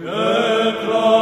Etra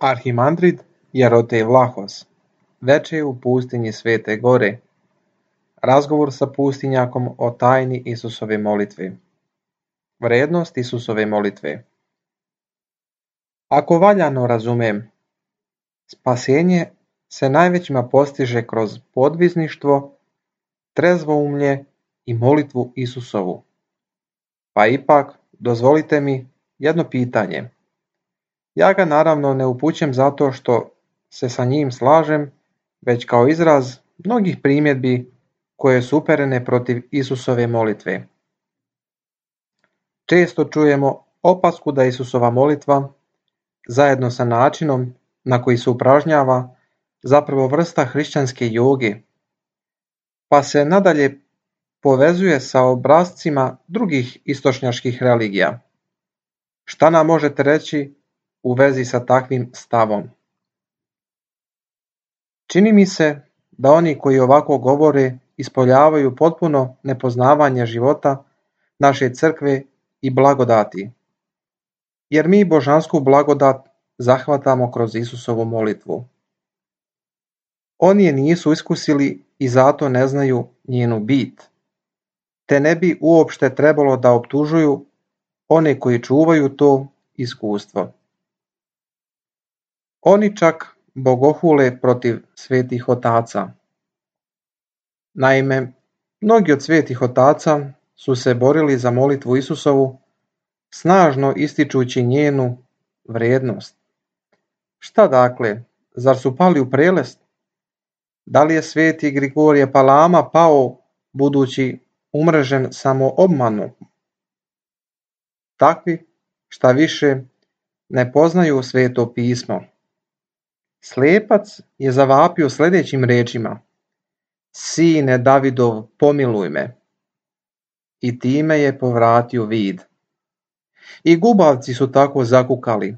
Arhimandrid Jarotej Vlahos, veče u pustinji Svete Gore, razgovor sa pustinjakom o tajni Isusove molitve. Vrednost Isusove molitve. Ako valjano razumem, spasenje se najvećima postiže kroz podvizništvo, trezvoumlje i molitvu Isusovu. Pa ipak, dozvolite mi jedno pitanje. Ja ga naravno ne upućujem zato što se sa njim slažem, već kao izraz mnogih primjedbi koje su uperene protiv Isusove molitve. Često čujemo opasku da Isusova molitva, zajedno sa načinom na koji se upražnjava, zapravo vrsta hrišćanske joge, pa se nadalje povezuje sa obrascima drugih istočnjačkih religija. Šta nam možete reći u vezi sa takvim stavom? Čini mi se da oni koji ovako govore ispoljavaju potpuno nepoznavanje života naše crkve i blagodati, jer mi božansku blagodat zahvatamo kroz Isusovu molitvu. Oni je nisu iskusili i zato ne znaju njenu bit, te ne bi uopšte trebalo da optužuju one koji čuvaju to iskustvo. Oni čak bogohule protiv svetih otaca. Naime, mnogi od svetih otaca su se borili za molitvu Isusovu, snažno ističući njenu vrijednost. Šta dakle, zar su pali u prelest? Da li je sveti Grigorije Palama pao budući umrežen samo obmanom? Takvi, šta više, ne poznaju sveto pismo. Slijepac je zavapio sljedećim rečima: Sine Davidov, pomiluj me. I time je povratio vid. I gubavci su tako zakukali,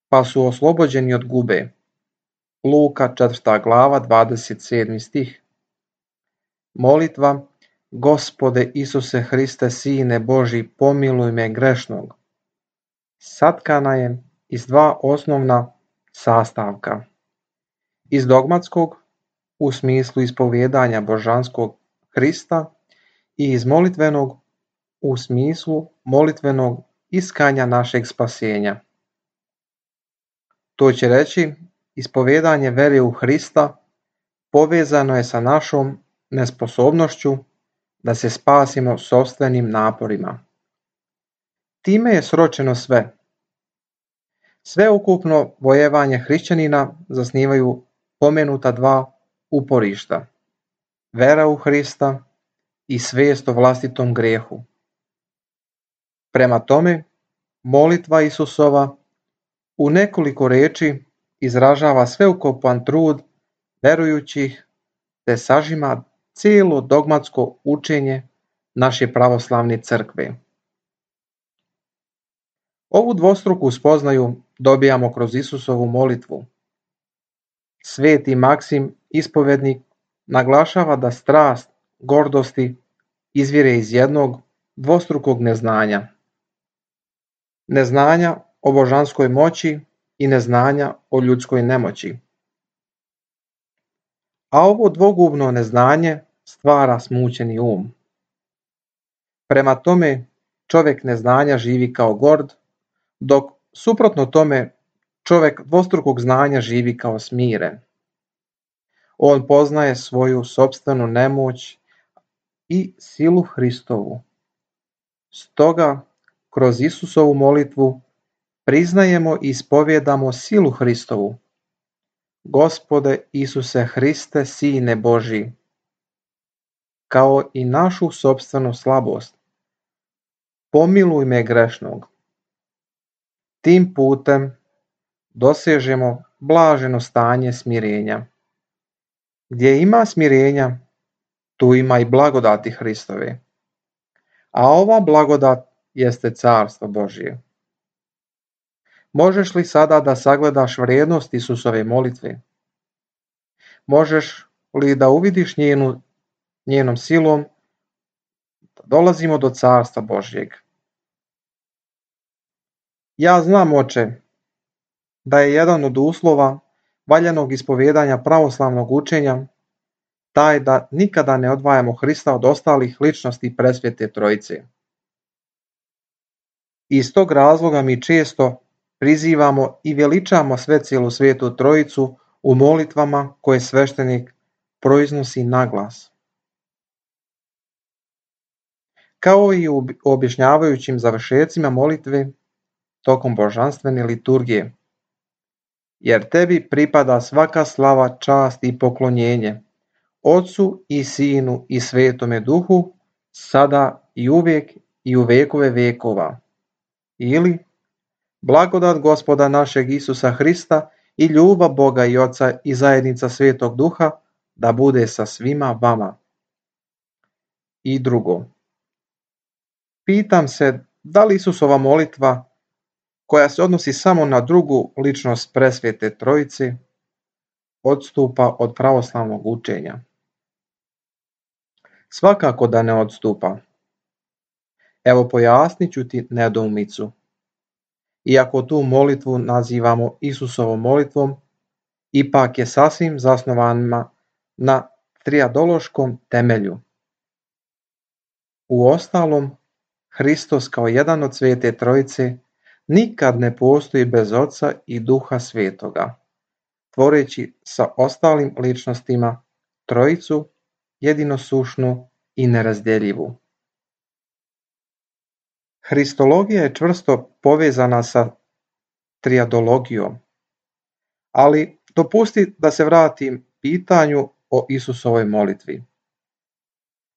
pa su oslobođeni od gube. Luka 4. glava 27. stih. Molitva: Gospode Isuse Hriste, Sine Boži, pomiluj me grešnog, satkana je iz dva osnovna sastavka. Iz dogmatskog, u smislu ispovijedanja božanskog Hrista, i iz molitvenog, u smislu molitvenog iskanja našeg spasenja. To će reći, ispovijedanje vere u Hrista povezano je sa našom nesposobnošću da se spasimo sopstvenim naporima. Time je sročeno sve. Sveukupno vojevanje hrišćanina zasnivaju pomenuta dva uporišta: vera u Hrista i svijest o vlastitom grijehu. Prema tome, molitva Isusova u nekoliko riječi izražava sveukupan trud verujućih te sažima cijelo dogmatsko učenje naše pravoslavne crkve. Ovu dvostruku spoznaju dobijamo kroz Isusovu molitvu. Sveti Maksim, ispovednik, naglašava da strast gordosti izvire iz jednog dvostrukog neznanja. Neznanja o božanskoj moći i neznanja o ljudskoj nemoći. A ovo dvogubno neznanje stvara smućeni um. Prema tome, čovjek neznanja živi kao gord, dok suprotno tome čovjek dvostrukog znanja živi kao smiren. On poznaje svoju sopstvenu nemoć i silu Hristovu. Stoga, kroz Isusovu molitvu priznajemo i ispovjedamo silu Hristovu. Gospode Isuse Hriste, Sine Boži, kao i našu sopstvenu slabost. Pomiluj me grešnog. Tim putem dosežemo blaženo stanje smirenja. Gdje ima smirenja, tu ima i blagodati Hristove. A ova blagodat jeste carstvo Božje. Možeš li sada da sagledaš vrijednost Isusove molitve? Možeš li da uvidiš njenom silom da dolazimo do carstva Božjeg? Ja znam, Oče, da je jedan od uslova valjanog ispovijedanja pravoslavnog učenja taj da nikada ne odvajamo Hrista od ostalih ličnosti presvete Trojice. Iz tog razloga mi često prizivamo i veličamo svecilu svetu Trojicu u molitvama koje sveštenik proiznosi naglas. Kao i u objašnjavajućim završecima molitve tokom božanstvene liturgije. Jer tebi pripada svaka slava, čast i poklonjenje, Otcu i Sinu i Svetome Duhu, sada i uvijek i u vekove vekova. Ili, blagodat Gospoda našeg Isusa Hrista i ljubav Boga i Oca i zajednica Svetog Duha da bude sa svima vama. I drugo. Pitam se da li Isusova molitva, koja se odnosi samo na drugu ličnost presvete Trojice, odstupa od pravoslavnog učenja. Svakako da ne odstupa. Evo pojasnit ću ti nedoumicu. Iako tu molitvu nazivamo Isusovom molitvom, ipak je sasvim zasnovana na trijadološkom temelju. Uostalom, Hristos kao jedan od Svete Trojice nikad ne postoji bez Oca i Duha Svetoga, tvoreći sa ostalim ličnostima Trojicu jedinosušnu i nerazdjeljivu. Hristologija je čvrsto povezana sa trijadologijom, ali dopusti da se vratim pitanju o Isusovoj molitvi.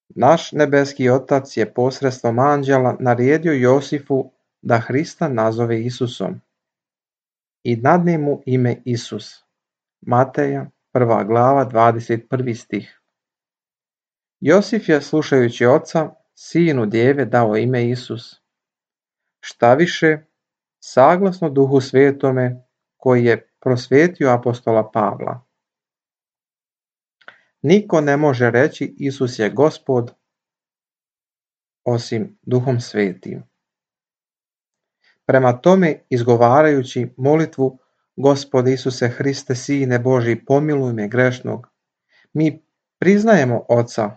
Naš nebeski Otac je posredstvom anđela naredio Josifu da Hrista nazove Isusom i dadne mu ime Isus. Mateja 1. glava 21. stih. Josif je, slušajući oca, sinu djeve dao ime Isus. Šta više, saglasno Duhu Svetome koji je prosvetio apostola Pavla. Niko ne može reći Isus je Gospod osim Duhom Svetim. Prema tome, izgovarajući molitvu Gospode Isuse Hriste, Sine Božji, pomiluj me grešnog, mi priznajemo Oca,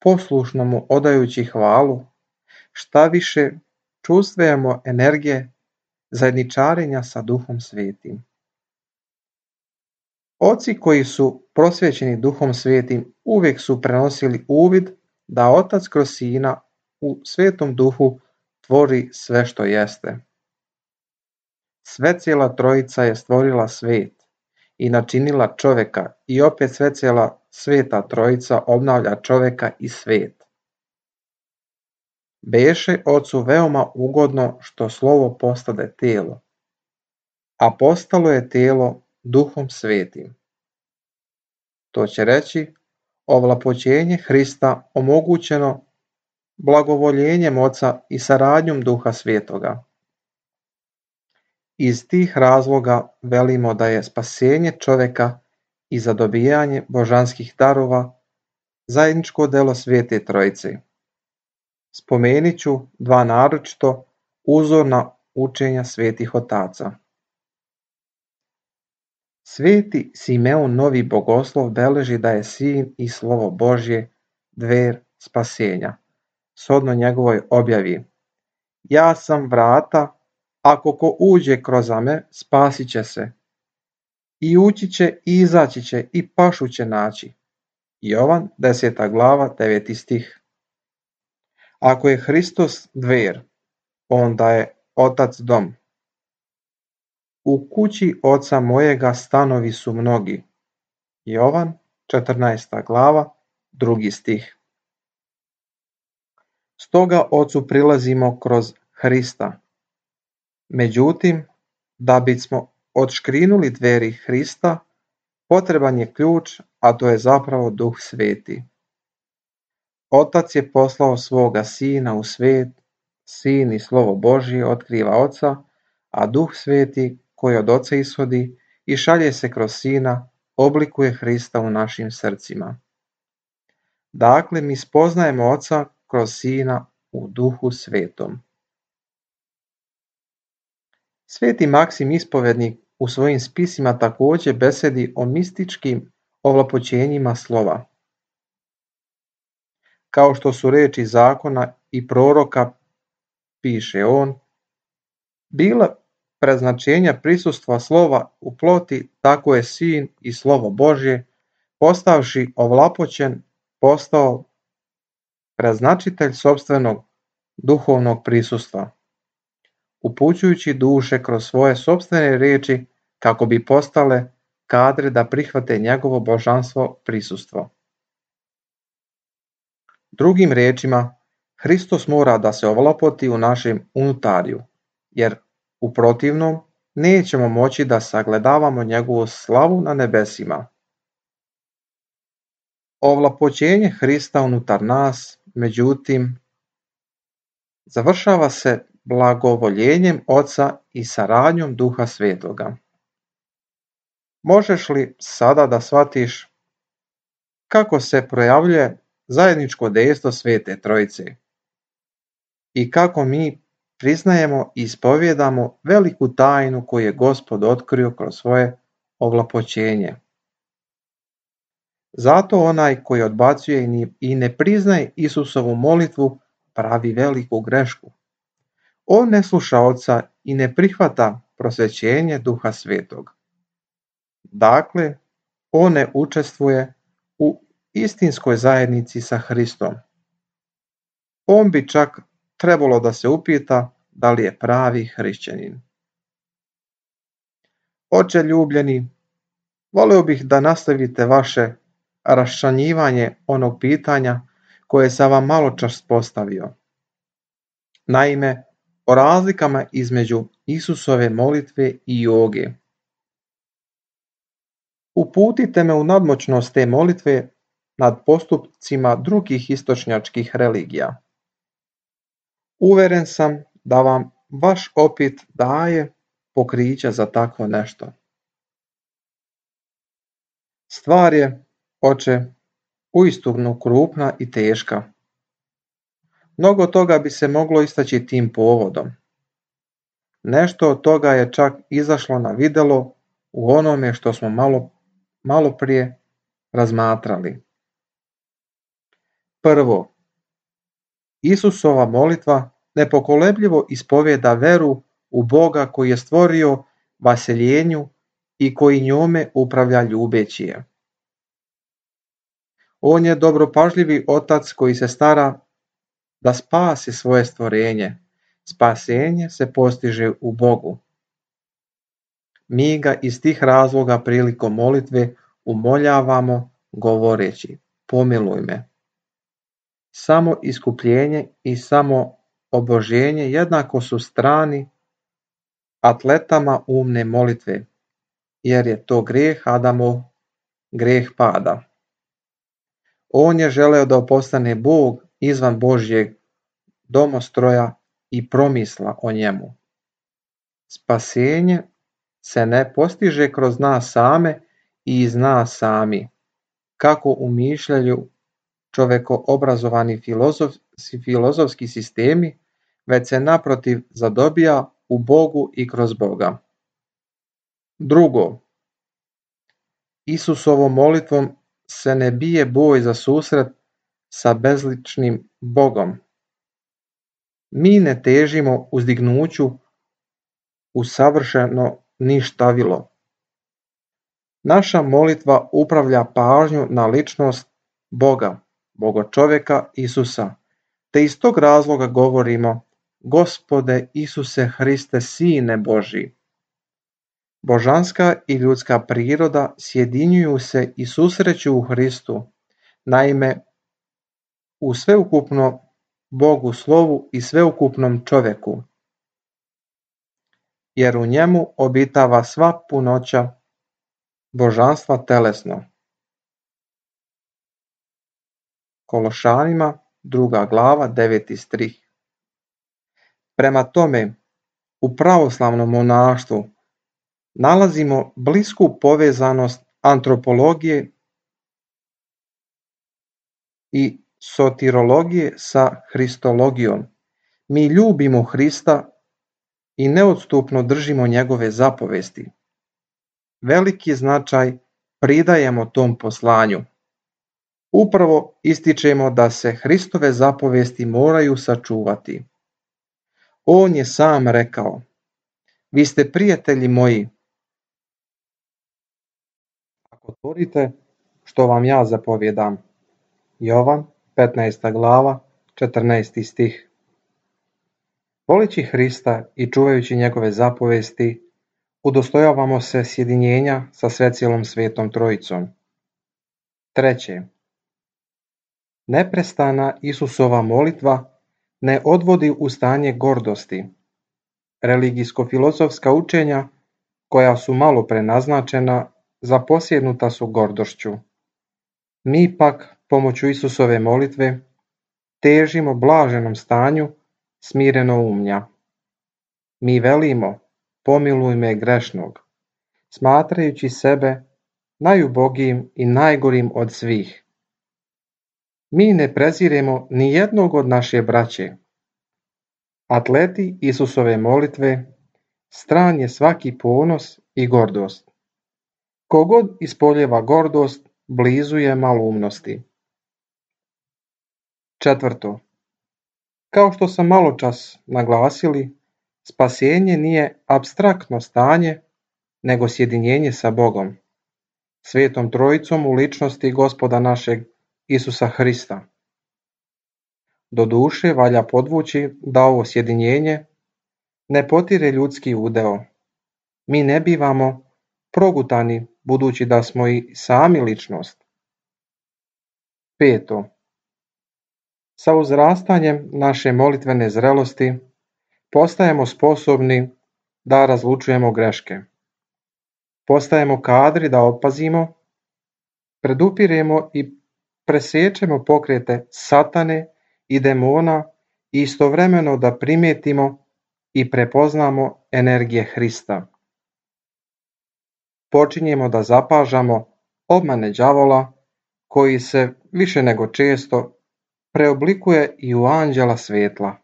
poslušno mu odajući hvalu, šta više čustvujemo energije zajedničarenja sa Duhom Svetim. Oci koji su prosvećeni Duhom Svetim uvijek su prenosili uvid da Otac kroz Sina u Svetom Duhu tvori sve što jeste. Svecijela Trojica je stvorila svet i načinila čoveka i opet svecijela Sveta Trojica obnavlja čoveka i svet. Beše Ocu veoma ugodno što slovo postade telo, a postalo je telo Duhom Svetim. To će reći ovlapoćenje Hrista omogućeno blagovoljenjem Oca i saradnjom Duha Svetoga. Iz tih razloga velimo da je spasenje čoveka i zadobijanje božanskih darova zajedničko delo Svete Trojice. Spomenit ću dva naročito uzorna učenja svetih otaca. Sveti Simeon Novi Bogoslov beleži da je Sin i Slovo Božje dver spasenja, shodno njegovoj objavi. Ja sam vrata, ako ko uđe kroz me, spasit će se. I ući će i izaći će i pašu će naći. Jovan 10. glava 9. stih. Ako je Hristos dver, onda je Otac dom. U kući Oca mojega stanovi su mnogi. Jovan 14. glava 2. stih. Stoga Ocu prilazimo kroz Hrista. Međutim, da bismo odškrinuli dveri Hrista, potreban je ključ, a to je zapravo Duh Sveti. Otac je poslao svoga Sina u svet, Sin i Slovo Božje otkriva Oca, a Duh Sveti koji od Oca ishodi i šalje se kroz Sina, oblikuje Hrista u našim srcima. Dakle, mi spoznajemo Oca kroz Sina u Duhu Svetom. Sveti Maksim Ispovednik u svojim spisima također besedi o mističkim ovlapoćenjima slova. Kao što su riječi zakona i proroka, piše on, bila preznačenja prisustva slova u ploti, tako je sin i slovo Božje, postavši ovlapoćen, postao preznačitelj sopstvenog duhovnog prisustva, upućujući duše kroz svoje sopstvene riječi kako bi postale kadre da prihvate njegovo božanstvo prisustvo. Drugim riječima, Hristos mora da se ovlapoti u našem unutariju, jer u protivnom nećemo moći da sagledavamo njegovu slavu na nebesima. Ovlapoćenje Hrista unutar nas, međutim, završava se blagovoljenjem Oca i saradnjom Duha Svetoga. Možeš li sada da shvatiš kako se projavljuje zajedničko dejstvo Svete Trojice i kako mi priznajemo i ispovjedamo veliku tajnu koju je Gospod otkrio kroz svoje ovlapoćenje? Zato onaj koji odbacuje i ne priznaje Isusovu molitvu pravi veliku grešku. On ne sluša Oca i ne prihvata prosvećenje Duha Svetog. Dakle, on ne učestvuje u istinskoj zajednici sa Hristom. On bi čak trebalo da se upita da li je pravi hrišćanin. Oče ljubljeni, voleo bih da nastavite vaše raščlanjivanje onog pitanja koje sam vam maločas postavio. Naime, o razlikama između Isusove molitve i joge. Uputite me u nadmoćnost te molitve nad postupcima drugih istočnjačkih religija. Uveren sam da vam vaš opit daje pokrića za takvo nešto. Stvar je, oče, uistinu krupna i teška. Mnogo toga bi se moglo istaći tim povodom. Nešto od toga je čak izašlo na videlo u onome što smo malo prije razmatrali. Prvo, Isusova molitva nepokolebljivo ispovjeda veru u Boga koji je stvorio vaseljenju i koji njome upravlja ljubeći je. On je dobropažljivi otac koji se stara da spasi svoje stvorenje. Spasenje se postiže u Bogu. Mi ga iz tih razloga prilikom molitve umoljavamo govoreći: pomiluj me. Samo iskupljenje i samo oboženje jednako su strani atletama umne molitve, jer je to grijeh Adamov, grijeh pada. On je želeo da postane Bog izvan Božjeg domostroja i promisla o njemu. Spasenje se ne postiže kroz nas same i iz nas sami, kako umišljaju čovekoobrazovani filozofski sistemi, već se naprotiv zadobija u Bogu i kroz Boga. Drugo, Isusovom molitvom se ne bije boj za susret sa bezličnim Bogom. Mi ne težimo uzdignuću u savršeno ništavilo. Naša molitva upravlja pažnju na ličnost Boga, Bogočoveka Isusa, te iz tog razloga govorimo: Gospode Isuse Hriste, Sine Božji. Božanska i ljudska priroda sjedinjuju se i susreću u Hristu, naime u sveukupno Bogu slovu i sveukupnom čoveku, jer u njemu obitava sva punoća božanstva telesno. Kološanima 2. glava 9. stih. Prema tome, u pravoslavnom monaštvu nalazimo blisku povezanost antropologije i sotirologije sa hristologijom. Mi ljubimo Hrista i neodstupno držimo njegove zapovesti. veliki značaj pridajemo tom poslanju. Upravo ističemo da se Hristove zapovesti moraju sačuvati. On je sam rekao: vi ste prijatelji moji, ako tvorite što vam ja zapovjedam. Jovan, 15. glava, 14. stih. Volići Hrista i čuvajući njegove zapovesti, udostojavamo se sjedinjenja sa svecijelom Svetom Trojicom. 3. Neprestana Isusova molitva ne odvodi u stanje gordosti. Religijsko-filozofska učenja, koja su malo prenaznačena, zaposjednuta su gordošću. Mi pak, pomoću Isusove molitve, težimo blaženom stanju smirenoumlja. Mi velimo: pomiluj me grešnog, smatrajući sebe najubogijim i najgorim od svih. Mi ne preziremo ni jednog od naše braće. Atleti Isusove molitve stran je svaki ponos i gordost. Kogod ispoljeva gordost, blizu je maloumnosti. 4. Kao što sam maločas naglasili, spasenje nije apstraktno stanje, nego sjedinjenje sa Bogom, Svetom Trojicom u ličnosti Gospoda našeg Isusa Hrista. Doduše, valja podvući da ovo sjedinjenje ne potire ljudski udeo. Mi ne bivamo progutani, budući da smo i sami ličnost. 5. Sa uzrastanjem naše molitvene zrelosti postajemo sposobni da razlučujemo greške. Postajemo kadri da opazimo, predupiremo i presječemo pokrete satane i demona i istovremeno da primijetimo i prepoznamo energije Hrista. Počinjemo da zapažamo obmane đavola, koji se više nego često preoblikuje i u anđela svjetla.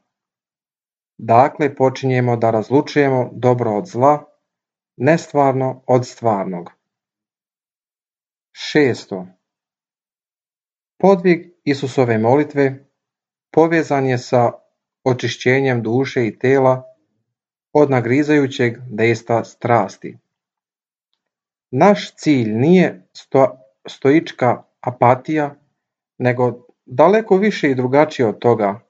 Dakle, počinjemo da razlučujemo dobro od zla, nestvarno od stvarnog. 6. Podvig Isusove molitve povezan je sa očišćenjem duše i tela od nagrizajućeg dejstva strasti. Naš cilj nije stoička apatija, nego daleko više i drugačije od toga,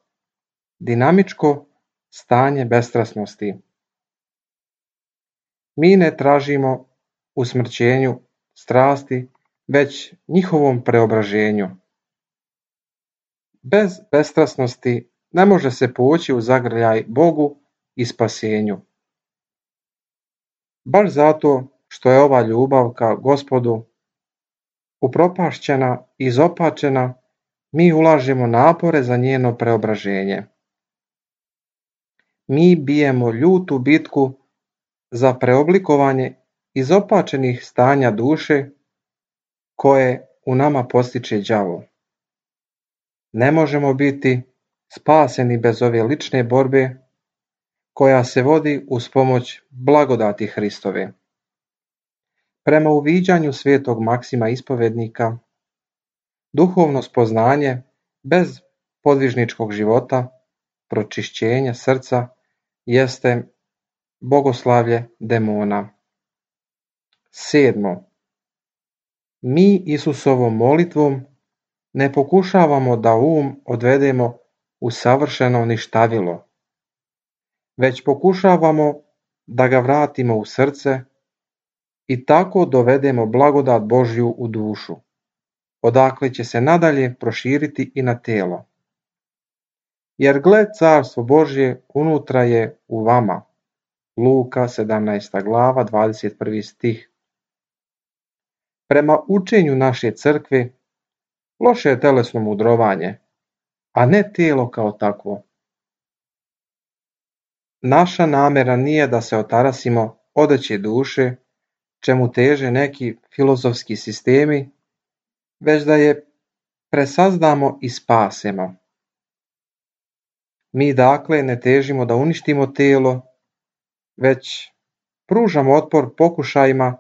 dinamičko stanje bestrasnosti. Mi ne tražimo usmrćenju strasti, već njihovom preobraženju. Bez bestrasnosti ne može se poći u zagrljaj Bogu i spasenju. Baš zato što je ova ljubav ka Gospodu upropašćena i izopačena, mi ulažemo napore za njeno preobraženje. Mi bijemo ljutu bitku za preoblikovanje izopačenih stanja duše koje u nama postiče đavo. Ne možemo biti spaseni bez ove lične borbe koja se vodi uz pomoć blagodati Hristove. Prema uviđanju svetog Maksima ispovednika, duhovno spoznanje bez podvižničkog života, pročišćenja srca, jeste bogoslavlje demona. 7. Mi Isusovom molitvom ne pokušavamo da odvedemo u savršeno ništavilo, već pokušavamo da ga vratimo u srce i tako dovedemo blagodat Božju u dušu, odakle će se nadalje proširiti i na telo. Jer gle, carstvo Božje unutra je u vama. Luka, 17. glava, 21. stih. Prema učenju naše crkve, loše je telesno mudrovanje, a ne tijelo kao takvo. Naša namjera nije da se otarasimo odeće duše, čemu teže neki filozofski sistemi, već da je presazdamo i spasemo. Mi dakle ne težimo da uništimo tijelo, već pružamo otpor pokušajima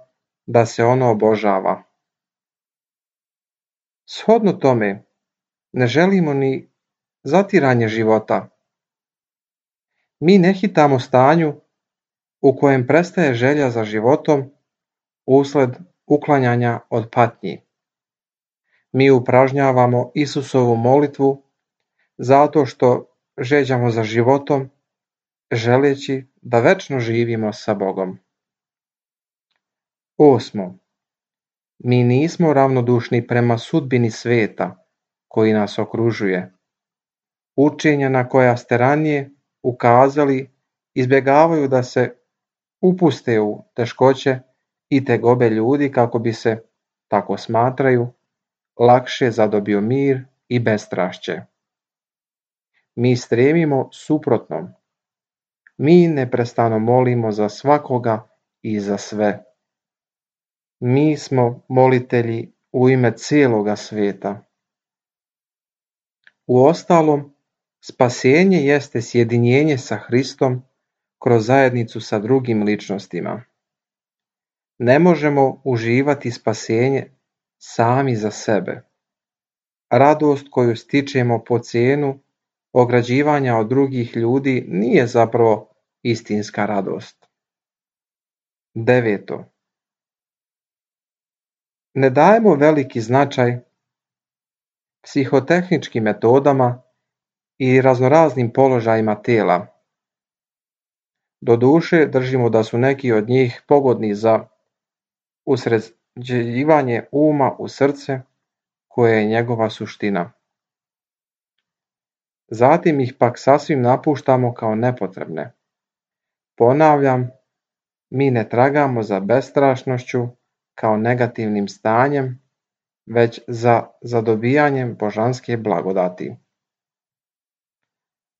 da se ono obožava. Shodno tome, ne želimo ni zatiranje života. Mi ne hitamo stanju u kojem prestaje želja za životom usled uklanjanja od patnji. Mi upražnjavamo Isusovu molitvu zato što žeđamo za životom, želeći da večno živimo sa Bogom. 8. Mi nismo ravnodušni prema sudbini sveta koji nas okružuje. Učenja na koja ste ranije ukazali izbjegavaju da se upuste u teškoće i tegobe ljudi kako bi se, tako smatraju, lakše zadobio mir i bestrašće. Mi stremimo suprotnom. Mi neprestano molimo za svakoga i za sve. Mi smo molitelji u ime cijeloga svijeta. Uostalom, spasenje jeste sjedinjenje sa Hristom kroz zajednicu sa drugim ličnostima. Ne možemo uživati spasenje sami za sebe. Radost koju stičemo po cijenu ograđivanja od drugih ljudi nije zapravo istinska radost. 9. Ne dajemo veliki značaj psihotehničkim metodama i raznoraznim položajima tela. Doduše, držimo da su neki od njih pogodni za usređivanje uma u srce, koje je njegova suština. Zatim ih pak sasvim napuštamo kao nepotrebne. Ponavljam, mi ne tragamo za bestrašnošću kao negativnim stanjem, već za zadobijanjem božanske blagodati.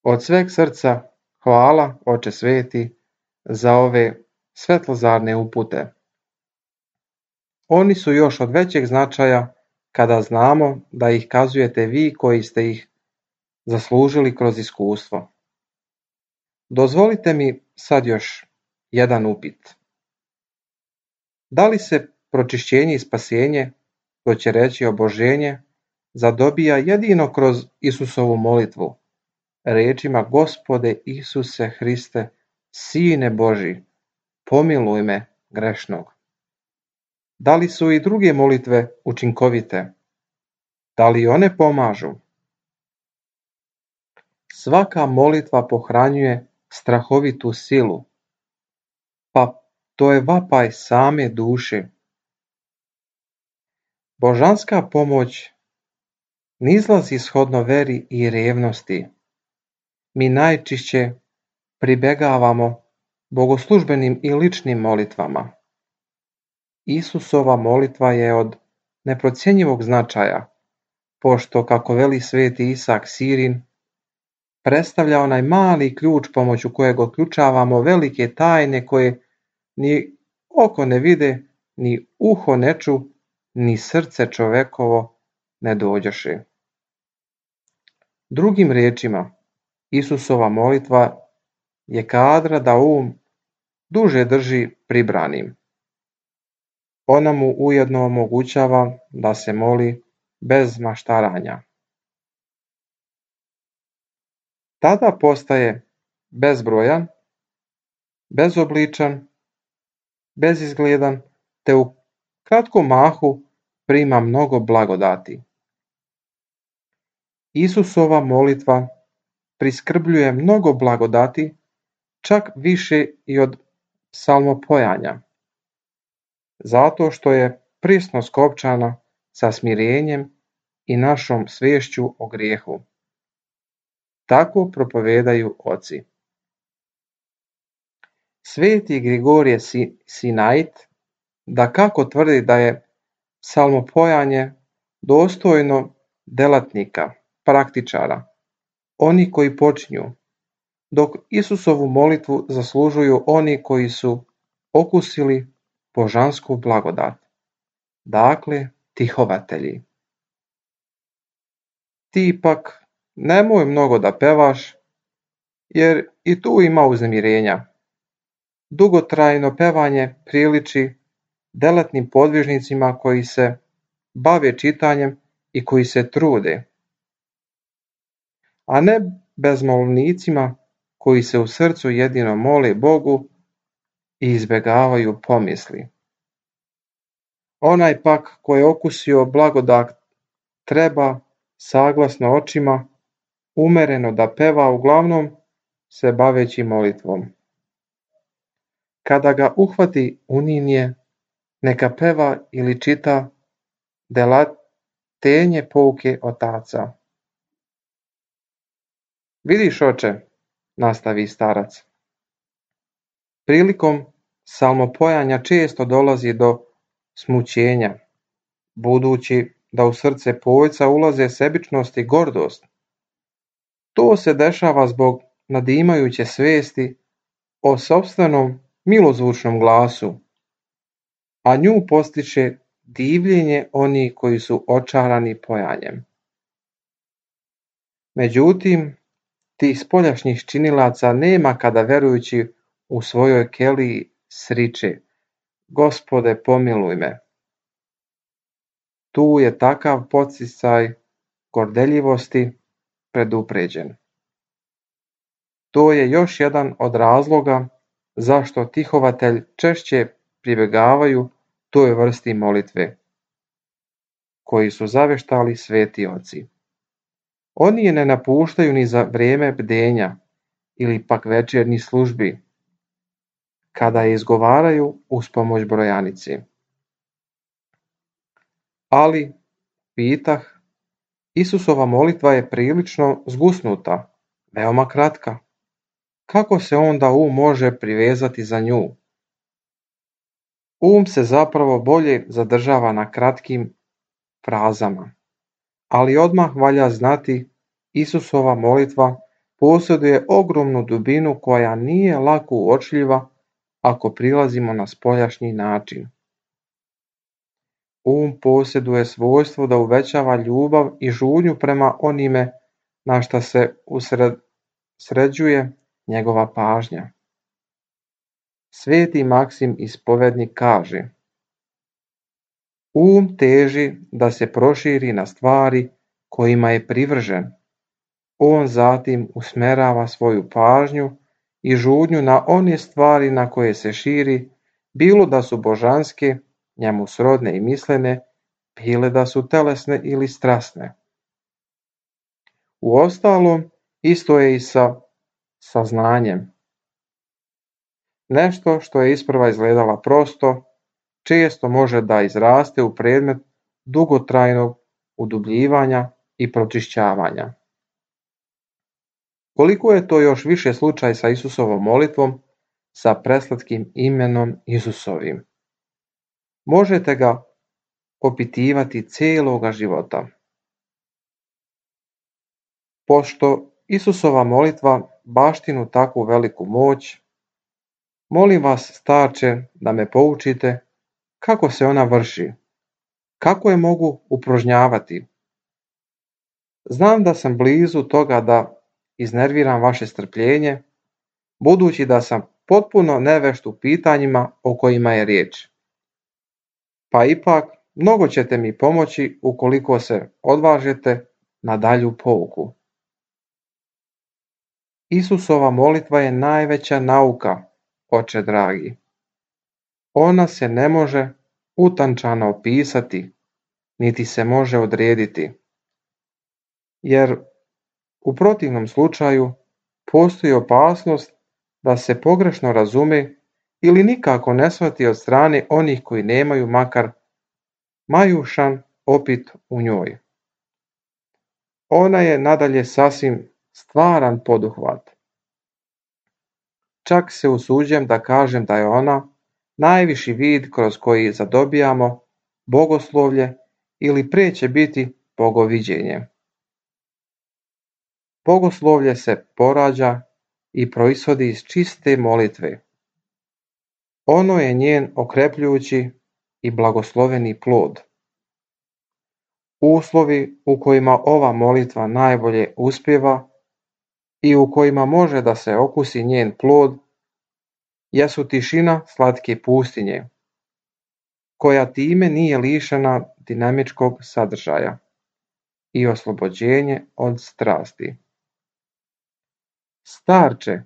Od sveg srca hvala, Oče sveti, za ove svetlozarne upute. Oni su još od većeg značaja kada znamo da ih kazujete vi koji ste ih zaslužili kroz iskustvo. Dozvolite mi sad još jedan upit. Da li se pročišćenje i spasenje, to će reći oboženje, zadobija jedino kroz Isusovu molitvu, rečima Gospode Isuse Hriste, Sine Boži, pomiluj me grešnog? Da li su i druge molitve učinkovite? Da li one pomažu? Svaka molitva pohranjuje strahovitu silu, pa to je vapaj same duše. Božanska pomoć ne izlazi shodno veri i revnosti. Mi najčešće pribegavamo bogoslužbenim i ličnim molitvama. Isusova molitva je od neprocjenjivog značaja, pošto, kako veli sveti Isak Sirin, predstavlja onaj mali ključ pomoću kojeg otključavamo velike tajne koje ni oko ne vide, ni uho ne ču, ni srce čovekovo ne dođoše. Drugim riječima, Isusova molitva je kadra da duže drži pribranim. Ona mu ujedno omogućava da se moli bez maštaranja. Tada postaje bezbrojan, bezobličan, bezizgledan, te u kratkom mahu prima mnogo blagodati. Isusova molitva priskrbljuje mnogo blagodati, čak više i od psalmopojanja, zato što je prisno skopčana sa smirenjem i našom sviješću o grijehu. Tako propovedaju oci. Sveti Grigorije Sinait dakako tvrdi da je psalmopojanje dostojno delatnika, praktičara, oni koji počinju, dok Isusovu molitvu zaslužuju oni koji su okusili božansku blagodat, dakle tihovatelji. Ti ipak nemoj mnogo da pevaš, jer i tu ima uznemirenja. Dugotrajno pevanje priliči delatnim podvižnicima koji se bave čitanjem i koji se trude, a ne bezmolnicima koji se u srcu jedino mole Bogu i izbjegavaju pomisli. Onaj pak ko je okusio blagodat treba, saglasno očima, umereno da peva, uglavnom se baveći molitvom. Kada ga uhvati uninje, neka peva ili čita delatenje pouke otaca. Vidiš, oče, nastavi starac, prilikom salmopojanja često dolazi do smućenja, budući da u srce pojca ulaze sebičnost i gordost. To se dešava zbog nadimajuće svesti o sopstvenom milozvučnom glasu, a nju postiče divljenje onih koji su očarani pojanjem. Međutim, tih spoljašnjih činilaca nema kada verujući u svojoj keliji sriče: Gospode, pomiluj me. Tu je takav podsticaj gordeljivosti predupređen. To je još jedan od razloga zašto tihovatelj češće pribjegavaju toj vrsti molitve, koji su zaveštali sveti oci. Oni je ne napuštaju ni za vrijeme bdenja ili pak večernjih službi, kada je izgovaraju uz pomoć brojanice. Ali, pitah, Isusova molitva je prilično zgusnuta, veoma kratka. Kako se onda može privezati za nju? Se zapravo bolje zadržava na kratkim frazama, ali odmah valja znati, Isusova molitva posjeduje ogromnu dubinu koja nije lako uočljiva ako prilazimo na spoljašnji način. Posjeduje svojstvo da uvećava ljubav i žudnju prema onime na šta se usređuje njegova pažnja. Sveti Maksim ispovednik kaže: teži da se proširi na stvari kojima je privržen. On zatim usmjerava svoju pažnju i žudnju na one stvari na koje se širi, bilo da su božanske, njemu srodne i mislene, bile da su telesne ili strasne. Uostalom, isto je i sa saznanjem. Nešto što je isprva izgledala prosto, često može da izraste u predmet dugotrajnog udubljivanja i pročišćavanja. Koliko je to još više slučaj sa Isusovom molitvom, sa preslatkim imenom Isusovim. Možete ga opitivati cijeloga života. Pošto Isusova molitva baštinu takvu veliku moć, molim vas, starče, da me poučite kako se ona vrši, kako je mogu uprožnjavati. Znam da sam blizu toga da iznerviram vaše strpljenje, budući da sam potpuno nevešt u pitanjima o kojima je riječ. Pa ipak, mnogo ćete mi pomoći ukoliko se odvažete na dalju pouku. Isusova molitva je najveća nauka, oče dragi. Ona se ne može utančano opisati, niti se može odrediti, jer u protivnom slučaju postoji opasnost da se pogrešno razume ili nikako ne shvati od strane onih koji nemaju makar majušan opit u njoj. Ona je nadalje sasvim stvaran poduhvat. Čak se usuđujem da kažem da je ona najviši vid kroz koji zadobijamo bogoslovlje ili prije će biti bogoviđenje. Bogoslovlje se porađa i proizvodi iz čiste molitve. Ono je njen okrepljujući i blagosloveni plod. Uslovi u kojima ova molitva najbolje uspijeva i u kojima može da se okusi njen plod jesu tišina slatke pustinje, koja time nije lišena dinamičkog sadržaja i oslobođenje od strasti. Starče,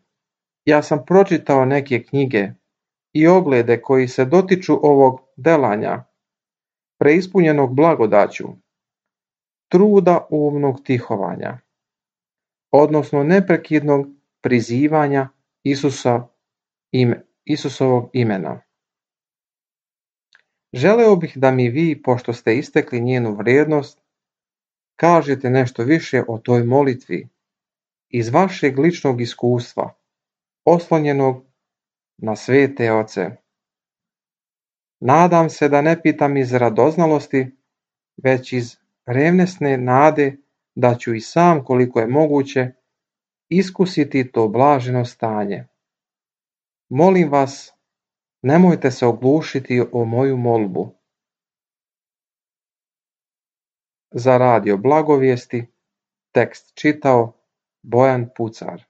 ja sam pročitao neke knjige i oglede koji se dotiču ovog delanja, preispunjenog blagodaću, truda umnog tihovanja, odnosno neprekidnog prizivanja Isusovog imena. Želeo bih da mi vi, pošto ste istekli njenu vrijednost, kažete nešto više o toj molitvi iz vašeg ličnog iskustva, oslonjenog na svete oce. Nadam se da ne pitam iz radoznalosti, već iz revnesne nade da ću i sam, koliko je moguće, iskusiti to blaženo stanje. Molim vas, nemojte se oglušiti o moju molbu. Za radio Blagovijesti tekst čitao Bojan Pucar.